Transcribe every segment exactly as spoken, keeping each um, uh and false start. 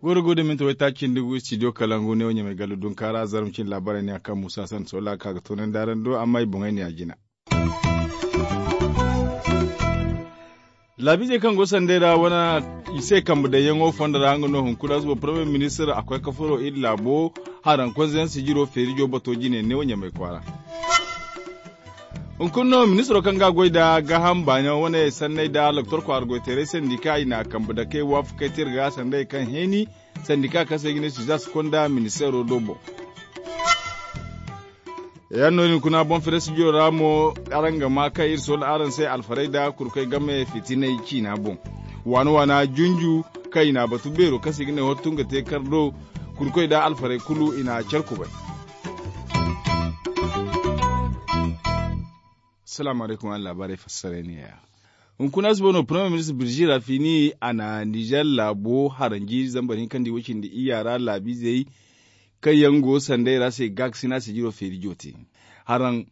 Goro go da minti waytaaci nda gu studio kalangu ne wo ɲamay gallu dunkaara zarma cine laabaarey ne a kaŋ muusa sanda sola ka ga toonandi araŋ do amma i boŋey ne a jina. Laabiizey kaŋ go sanday ra wane i se kambe daŋyaŋo fondo ra nga no hunkuna suba parmiye ministir a koy ka furo iri laabo haraŋ konzeyaŋ sijiro feerijo bato jine neewo ɲamay kwaara. Hunkuna no ministiro kaŋ ga a goy nda gaaham baana wane sanney nda doktor kwaara goyteeray sandika i na kambe dakey waafakey te iri ga sanday kaŋ heeni sandika kaŋ se i ga ne suzas konda ministeero do boŋ. Yaŋ no din kuna boŋ fere sijiro ra mo araŋ ga ma kaŋ iri sola araŋ se alfarey nda kurkoy game fitinay ciina boŋ waana waana junju kaŋ i na a batu beero kaŋ se i ga ne hottu nga te kar do kurkoy nda alfarey kulu i na care kubay. Salaamu alaykum araŋ laabaarey fassaray ne ya. Hunkuna suba no parmiye ministir birji rafini a na nizer laabo haranji zambar hinka nda i way cindi iyya ra laabiizey kaŋ yaŋ go sanday ra se gaakasina sijiro feeri joote haraŋ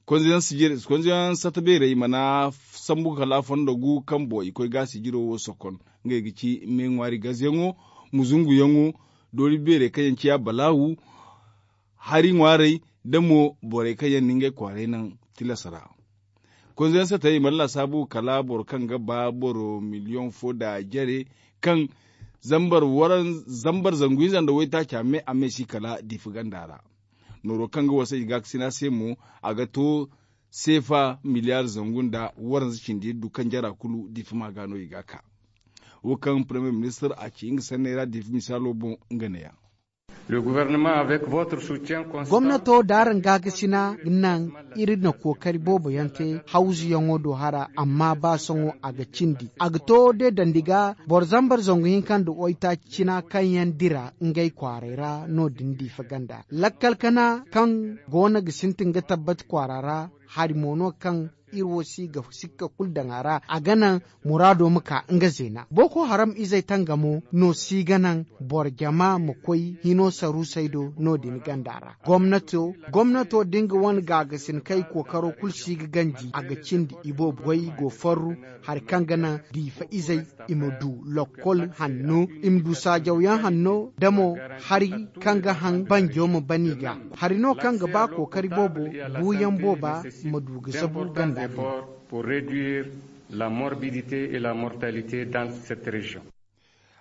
konzeyaŋ sata beerey mana sambu kala fondo gu kaŋ boŋ i koy ga sijiro wo sokon ngey ga ci me ŋwaari gazeyaŋo muzunguyaŋo doori beerey kaŋ yaŋ ciya balaawu hari ŋwaarey nda mo borey kaŋ yaŋ na ngey kwaaray naŋ tilas ra. Konzeyaŋ satey i mana laasaabu kala boro kaŋ ga ba boro miliyoŋ fo nda jare kaŋ zambar zangu hinza nda waytaaca me a me si kala diifa ganda ra. Nooro kaŋ ga wasa i gaakasina se mo a ga to seefa miliyaar zangu nda waranza cindi iri du kaŋ jara kulu diifa ma ga no i ga ka. Wo kaŋ parmiye ministir a ci nga sanney ra diifa misaalo boŋ nga ne ya. Gomnato da araŋ gaakasina naŋ iri na kookari boobo yaŋ te hawzuyaŋo do hara amma ba sohõ a ga cindi a ga to de dandi ga boro zambar zangu hinka nda waytaaci cina kaŋ yaŋ dira ngey kwaaray ra no- din diifa ganda lakkal kana kaŋ go no ga sintin ga tabbati kwaara ra hari mo no kaŋ iri wo si ga sikka kulu daŋ a ra a ga naŋ muraado ma ka nga zeena boko haram izey tangamo no si ga naŋ boro jama ma koy hino saruusey do no- din ganda ra. Gomnato da nga wane gaagasin kay kookaro kulu si ga ganji a ga cindi i boobo goy go farru hari kaŋ ga naŋ diifa izey i ma du lokkol hanno i ma du saajawyaŋ hanno da mo hari kaŋ ga haŋ banjo ma ban i ga hari no kaŋ ga ba kookari boobo buuyaŋ booba ma du ga zabu ganda din.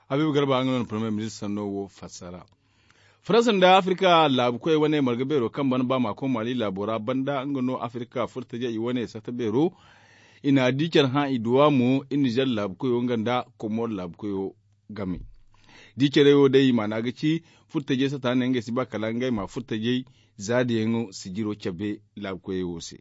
Habiibu garba nga no na parmiye ministir sanno wo fassara. Faransa nda afirka laabu koy wane marga beero kaŋ bana ba maako mali laabo ra banda nga no afirka furtaje i wane sata beero i na di care hã i duwa mo i nizer laabu koyo nga nda komor laabu koyo game. Di care wo day maana ga ci furtajey sata ne ngey si ba kala ngey ma furtajey zaadiyaŋo sijiro cabe laabu koyey wo se.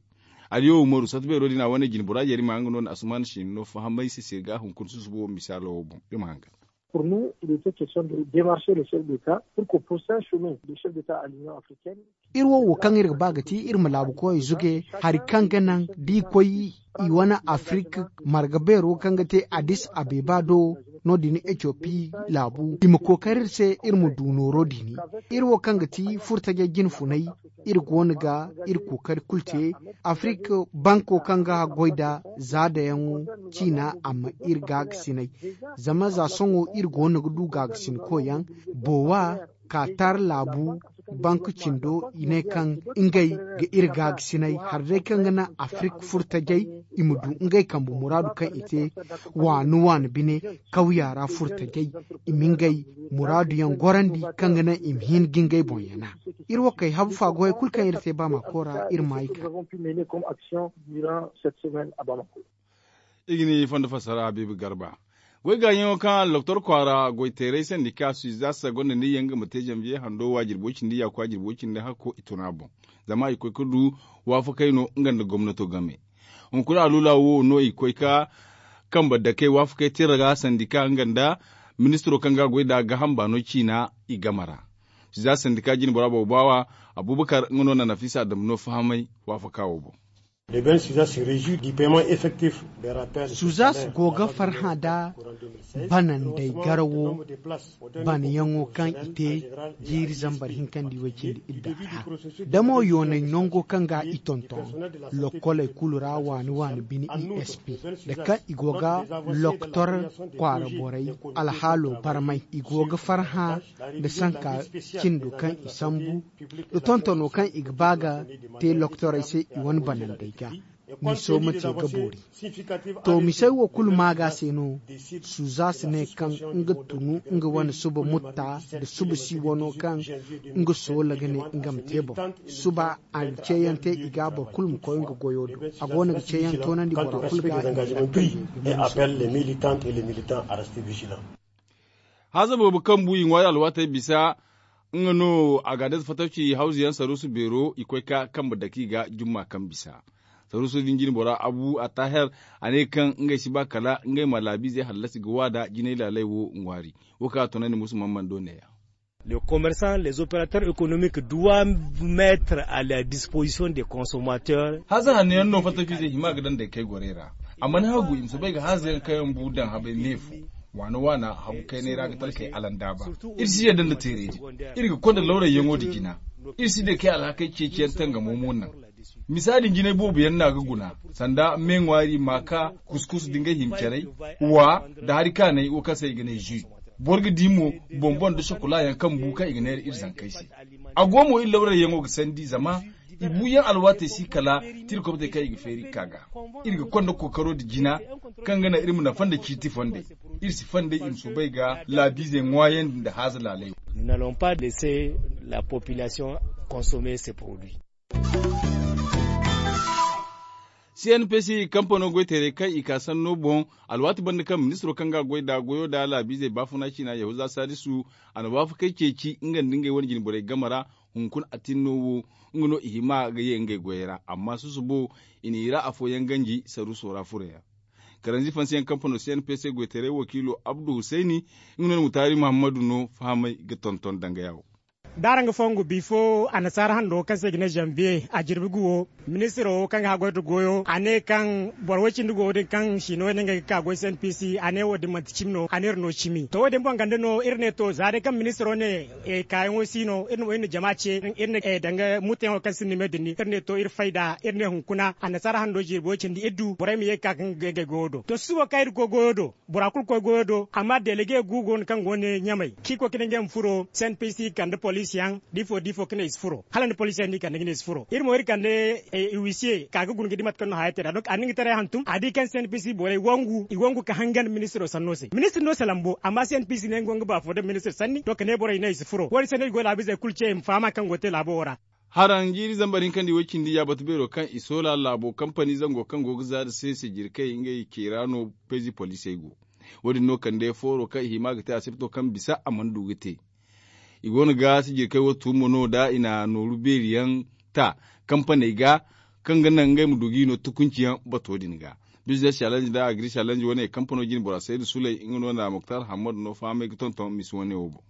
Aliyo umaru sata beero din a wane jine bora yari ma nga no na asuman si no fahamay se se ga hunkuna susubo misaalo wo boŋ iri ma hanga. Pour nous il était question de démarcher le chef d'état pour que prochain sommet du chef d'état à l'union africaine. Iri wo wo kaŋ iri ga ba ga ti iri ma laabu koyey zuge hari kaŋ ga naŋ da i koy i wane afirika marga beero kaŋ ga te addis abeba do no- din ethiopie laabu i ma kookari iri se iri ma du nooro din. Iri wo kaŋ ga ti furtajey jine funay iri go no ga iri kookari kulu te afirika banko kaŋ ga goy nda zaadayaŋo ciina amma iri gaagasinay. Zama za sohõ iri go no ga du gaagasinkoyaŋ boowa kaatar laabu bank cindo i ne kaŋ ngey ga iri gaagasinay hari day kaŋ ga naŋ afirika furtajey i ma du ngey kambe muraadu kaŋ i te waani waani bine kawya ra furtajey i ma ngey muraaduyaŋ gorandi kaŋ ga naŋ i ma hin ga ngey boŋ yana. Iri wo kay habu faagoyey kulu kaŋ iri te baamako ra iri ma ay ka. I ga ni fondo fassara habiibu garba goy gaayaŋo kaŋ doktor kwaara goyteeray sandika suizasa gonda ni yaŋ ga ma te zanbiye hando waajirbo cindi yaaku waajirbo cindi hakko i tun a boŋ. Zama i koy ga du waafakey no nga nda gomnato game. Hunkuna aluula wo no i koy ga kambe dakey waafakey tira ga sandika nga nda ministiro kaŋ ga a goy nd'a gaaham baano ciina i game ra. Suizasa sandika jine bora boobo baawa abubakar nga no na nafisa adamu no fahamay waafaka wo boŋ. Suzas go ga farhã nda banandey garawo banayaŋo kaŋ i te jiiri zambar hinkandi way-cindi idda ra. Da mo yoonay nango kaŋ ga i tonton lokkoley kulu ra waani waani bine esp, nda kaŋ i go ga loktor kwaara borey alhaalo barmay, i go ga farhã nda sanka cindo kaŋ i sambu nda tontono kaŋ i ga ba ga te loktorey se i wane banandey ga. Miso ma te ga boori. To misey wo kulu maaga se no. Suzas ne kaŋ nga tunu nga wane suba mutta nda suba si wano kaŋ nga soola ga ne nga ma te boŋ. Suba a ga ceeyaŋ te i ga boro kulu ma koy nga goyo do. A go no ga ceeyaŋ toonandi bora kulu ga i ma lakkal. Haza boobo kaŋ bu i ŋwaari alwaatey bisa nga no a ga a day fattaci hawzu yaŋ saruusu beero i koy ka kambe dake i ga jumma kaŋ bisa. Saruusu din jine bora abu a taahir a ne kaŋ ngey si ba kala ngey ma laabiizey hallasi ga waada jinay laaley wo ŋwaari. Wo kaŋ a toonandi musu mammando neeya. Les commerçants les opérateurs économiques doivent mettre à la disposition des consommateurs. Haza hanno yaŋ no fattaci zey hima ga daŋ day kay gorey ra. A mana hagu i ma si bay ga haza yaŋ kaŋ yaŋ bu daŋ habay neefo. Waana waana hagu kaynay ra ga talkey alandaaba. Iri si yadda nda teerey din. Iri ga konda lawrayyaŋo nda jina. Iri si day kay alhakey ceeciyaŋ tangamo mo naŋ. Misa din jinay boobo yaŋ no a ga guna sanda me ŋwaari maaka kuskus da ngey hima carey, wa, nda hari kaanay wo kaŋ se i ga ne zui. Boro ga di mo, boŋ-boŋ nda sokula yaŋ kaŋ bu kaŋ i ga neera iri zankey se. A go mo iri lawrayyaŋo ga sandi zama i buuyaŋ alwaatey si kala tirkobtey kaŋ i ga feeri ga ka ga. Iri ga konda kookaro nda jina kaŋ ga naŋ iri ma nafa nda ciiti fondey. Iri si fondey i ma soobay ga laabiizey ŋwaayandi nda haaza laaley wo. Nous n'allons pas laisser la population consommer ces produits. Cnpc kampano goyteerey kaŋ i ka sanno boŋ, alwaati banda kaŋ ministiro kaŋ ga a goy nd'a goyo nd'a laabiizey baafuna ciina yahuza saadisu, a na waafakey ceeci nga nda ngey wane jinborey game ra. Hunkuna atinno wo, nga no i hima ga ye ngey goyey ra amma susubo i n'i ra afooyaŋ ganji saruuso ra furey ra. Karanzi fansiyaŋ kampano cnpc goyteeray wakiilo abdu husayni, nga no na mutaari muhammadu no fahamay ga tonton dangaya wo. D'araŋ ga fongu bifo annasaara hando kaŋ se i ga ne zanbiye a jirbi guwo, ministiro wo kaŋ ga haggoy nda goyo a ne kaŋ boro way-cindi go wo- din kaŋ siino yaŋ no ngey ga ka goy cnpc a ne wo- din manti cimi no a ne iri no cimi to wo- din boŋ ganda no iri ne to za day kaŋ ministiro ne kaayaŋo si no iri na jama ce iri na danga mutayaŋo kaŋ sinda me din ni iri ne to iri fayda iri ne hunkuna annasaara hando jirbi way-cindi iri du borey ma ye ga ka ga ngey goyo do to susubo kaŋ iri ga koy goyo do. Bora kulu koy goyo do amma delege gu go no kaŋ go ne ɲamay kaŋ i koy ga ne ngey ma furo cnpc kande poliisi yaŋ da ifo da ifo ga ne i si furo hala nda poliisi yaŋ no i kande ga ne i si furo iri mo iri kande iwisiye ka ga guna ga di mate kaŋ no haya te nd'a donc a na nga taray hantum a di kaŋ cnpc borey wangu i wangu ga hangan ministiro sanno se ministir no se lambo amma cnpc ne nga go nga baafo da ministir sanni to kala ne borey ne i si furo wo- din se no i go laabiizey kulu ce i ma faham a kaŋ go ga te laabo wo ra. Haraŋ jiiri zambar hinkandi way-cindi ya batu beero kaŋ i soola laabo kampani zango kaŋ go ga zaari se sijirkey ngey ceera no payzi poliisey go. Wo- din no kande fooro kaŋ i hima ga te asibto kaŋ bisa a mana du ga te. I go no ga sijirkey wo tuumo no da i na nooru beeri yaŋ ta kampaney ga kaŋ ga naŋ ngey ma du ga i no tukunci yaŋ bato din ga. Biznes salanji nda agri salanji wane kampano jine bora saydu suley nga no na muktar hammadu no fahamay ga tonton misi wane wo boŋ.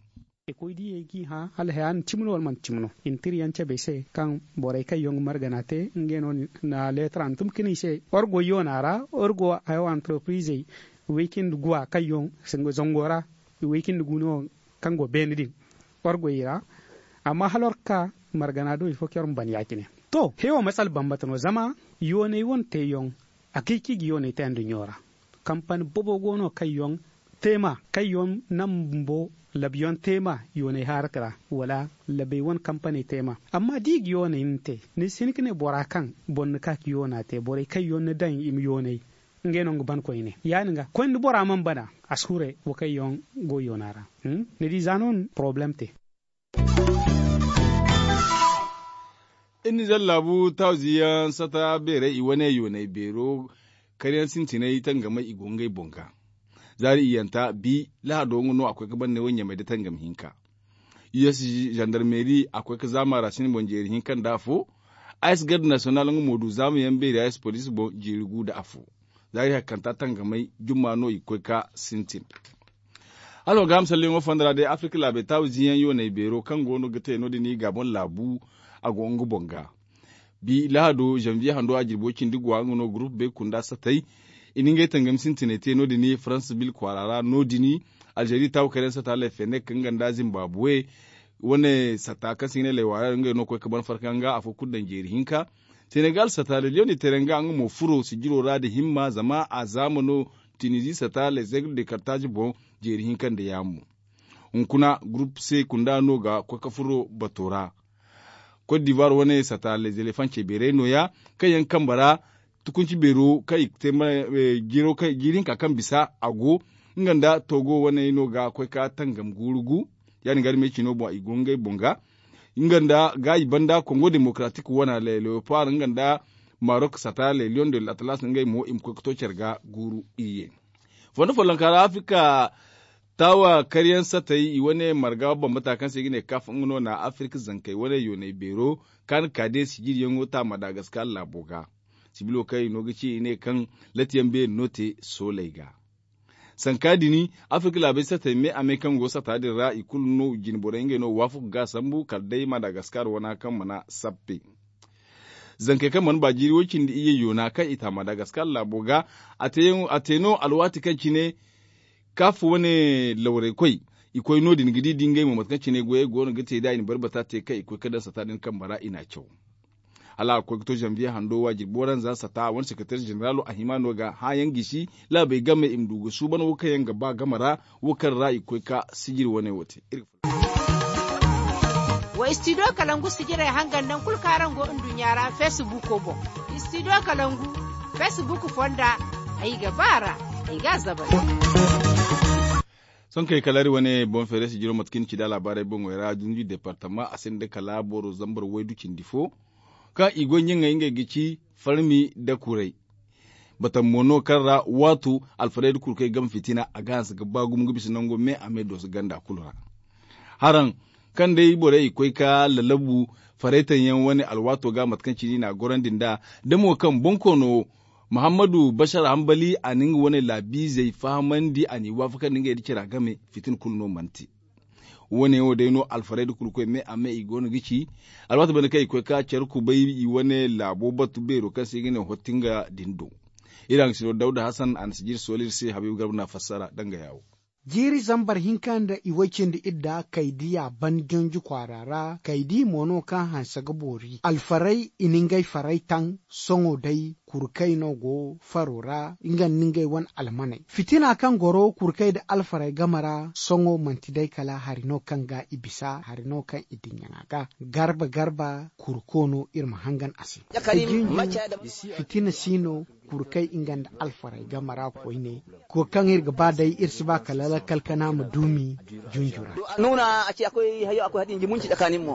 Koy diyey g'i hã hala haya na cimi no wala manti cimi no i na tira yaŋ cabe i se kaŋ borey kaŋ yaŋ ga margana te ngey no na leetara hantum ka ne i se war go yoona ra war go hayo antropirizey way cindi guwa kaŋ yaŋ zango ra way cindi gu no kaŋ go beene din war go i ra. Amma hala war ga ka margana do ifo kaŋ yar ma ban ya- cine. To he wo masala bambata no zama yooney wane teeyaŋ a kay kaŋ i ga yooney te nduɲɲo ra. Kampani boobo go no kaŋ yaŋ te ma kaŋ yaŋ naŋ bumbo labiyaŋ te ma yooney haarati ra wala labey wane kampaney te ma. Amma da i ga yooney ni te ni si hin ga ne bora kaŋ boro na ka ga yoona te borey kaŋ yaŋ ni daŋ i ma yooney ngey no nga ban koyne ya- din ga koyne da bora mana bana a si hure wo kaŋ yaŋ go yoona ra. Ni di za no porobalem te. Iri na zallaabu taaziyaŋ sata beerey i wane yooney beero karyaŋ sintinay tangamey i go ngey boŋ ga. Zaari iyyanta bi lahado nga no a koy ga banney wo ɲamey nda tangam hinka. Us zandarmeeri a koy ga zaama ra sinda boŋ jeeri hinka nda afo. Ice garde nasiyonal nga mo du zaamayaŋ beeri ice poliisi boŋ jeeri gu nda afo. Zaari hakkanta tangamey jumma no i ga koy ga sintin. Hala wa ga ham salliyaŋo fonda ra day afirka laabey taawu ziiyaŋ yooney beero kaŋ go no ga te no- din i gaabon laabu a go nga boŋ ga. Bi lahado zanviye hando a jirbo cindi gwa nga no gurupu bay kunda satay. I na ngey tangam sintinay te no- din faransa bil kwaara ra no- din. Alzeeri taabu kayna sata lay fenek nga nda zimbabuwe wane sata kaŋ se i ga ne lay waara ngey no ga koy ga ban farka nga afo kulu daŋ jeeri hinka. Senegal sata lay liyoŋ di teere nga nga mo furo sijiro ra nda himma zama a zaama no. Tinizi sata lay zeegir de kartaazi boŋ jeeri hinka nda yaamo. Hunkuna gurupu se kunda no ga koy ga furo bato ra. Kot divuwar wane sata lezelefaŋ ce beeray no- ya kaŋ yaŋ kambe ra tukunci beero kaŋ i ga te jiiri hinka kaŋ bisa a go. Nga nda togo wane no ga koy ga tangam guuru gu. Ya- din ga armey cino boŋ i go ngey boŋ ga nga nda gaayi banda kongo demokaratik wana lay leopard nga nda marok sata lay liyoŋ de l'atlas ngey mo i ma koy ga to care ga guuru iyye. Fondo follonka ra afirka taawa karyaŋ satay i wane marga bambata kaŋ se i ga ne kaf nga no na afirka zankey wane yoonay beero kaani ka day sijiriyaŋo ta madagaskar laabo ga. Sibilo kaŋ i no ga ci i ne kaŋ latiyaŋ beeri no te sooley ga. Sanka din afirka laabey satay me a me kaŋ go sata din ra i kulu no jinborey ngey no waafaku ga a sambu kala day madagaskar wana kaŋ mana sappe. Zankey kaŋ mana ba jiiri way- cindi iyye yoona kaŋ i ta madagaskar laabo ga. A te no alwaati kaŋ cine kaf wane lawraykoy i koy no- din ga di da ngey mo mate kaŋ cine goyey go no ga te da i na barbata te kaŋ i koy ga daŋ sata din kambe ra i n'a caw. Hala a ga koy ga to zanviye hando waajir booranza sata a wane sekereter zeneralo a hima no ga hããyaŋ gisi laabey game i ma du ga suuban wo kaŋ yaŋ ga ba game ra wo kaŋ ra i ga koy ga sijiri wane wo te. Wa istidiyo kalangu sijirey hangan nangu kulu kaŋ araŋ go nduɲɲa ra feesibuuko boŋ. Istidiyo kalangu feesibuuko fonda ay ga ba a ra ay ga a zabari. Sohõ kay kala iri wane boŋ feere sijiro mate kaŋ i na ci nd'a laabaarey boŋey ra dunju deepartama a sinda kala boro zambar waydu cindi fo kaŋ i go ɲaŋey ngey ga ci farmi nda kuray. Batam mo no kaŋ ra waato alfarey nda kurkey game fitina a ga hanse ga ba gumo ga bisa nango me a me dooso ganda kulu ra. Haraŋ kaŋ day borey i koy ga lalabu faraytaŋ yaŋ wane alwaato ga mate kaŋ cine i n'a gorandi nd'a da mo kaŋ boŋ koono wo muhammadu bashar hambali a na nga wane laabiizey fahamandi a n'i waafakandi ngey nda cara game fitina kulu no mana te. Wo- ne wo day no alfarey nda kurkoy me a me i go no ga ci alwaati banda kaŋ i koy ga care kubay i wane laabo batu beero kaŋ se i ga ne hottinga din do. Iri haŋ ga si no dawda hasan a na si jiiri sooli iri se habiibu garba no a fassara danga yaawo. Jiiri zambar hinka nda i way cindi idda kaydiya ban jonji kwaara ra kaydi mo no kaŋ hanse ga boori alfarey i na ngey farey taŋ. Sohõ day kurkey no go faro ra nga nda ngey wane almaney fitina kaŋ goro kurkey nda alfarey game ra sohõ manti day kala hari no kaŋ ga i bisa hari no kaŋ i dinya a ga garba garba kurko no iri ma hangan a se. Fitina si no kurkey nga nda alfarey game ra koyne. Ko kaŋ iri ga ba day iri si ba kala lakkal kana ma duumi junju ra.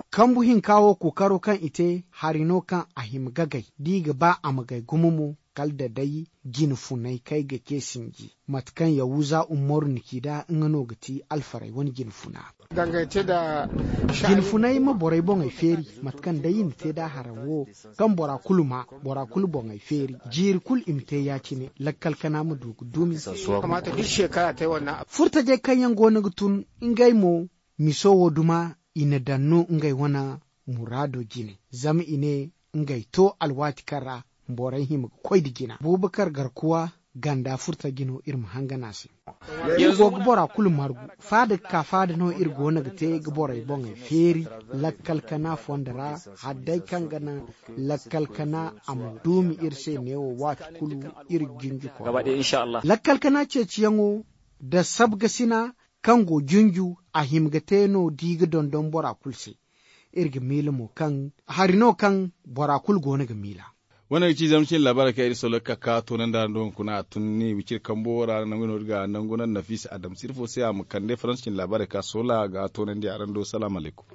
Kambu hinka wo kookaro kaŋ i te hari no kaŋ a hima gagay da i ga ba a ma gay gumo mo kala da day jine funay kaŋ ay ga ce sinji mate kaŋ yahuza umaru na ci nd'a nga no ga ti alfarey wane jine funa. Jine funay ma borey boŋey feeri mate kaŋ day i na te nd'a haraŋ wo kaŋ bora kulu ma bora kulu boŋey feeri jiiri kulu i ma te ya- cine lakkal kana ma du ga dumi. Furtajey kaŋ yaŋ go no ga tun ngey mo miso wo duma i na daŋ no ngey wane muraado jine zama i ne ngey to alwaati kaŋ ra borey hima ga koy nda jina bubakar garkuwa ganda furtaji no iri ma hangan a se. Iri go ga bora kulu margu faada ga ka faada no iri go no ga te ga borey boŋey feeri lakkal kana fondo ra hala day kaŋ ga naŋ lakkal kana a ma duumi iri se neewo waati kulu iri ga jinji koy lakkal kana ceeciyaŋo nda sabgasina kaŋ go junju a hima ga te no da i ga dondon bora kulu se. Iri ga miila mo kaŋ hari no kaŋ bora kulu go no ga miila. Wane ga ci zama cine laabaarey kaŋ iri soloka ka toonandi araŋ do hunkuna a tun ni wiciri kambo ra nangu no iri ga nangu naŋ nafisa adam sirfo se a ma kande faransa cine laabaarey ka soola ga toonandi araŋ do salaamu alaykum.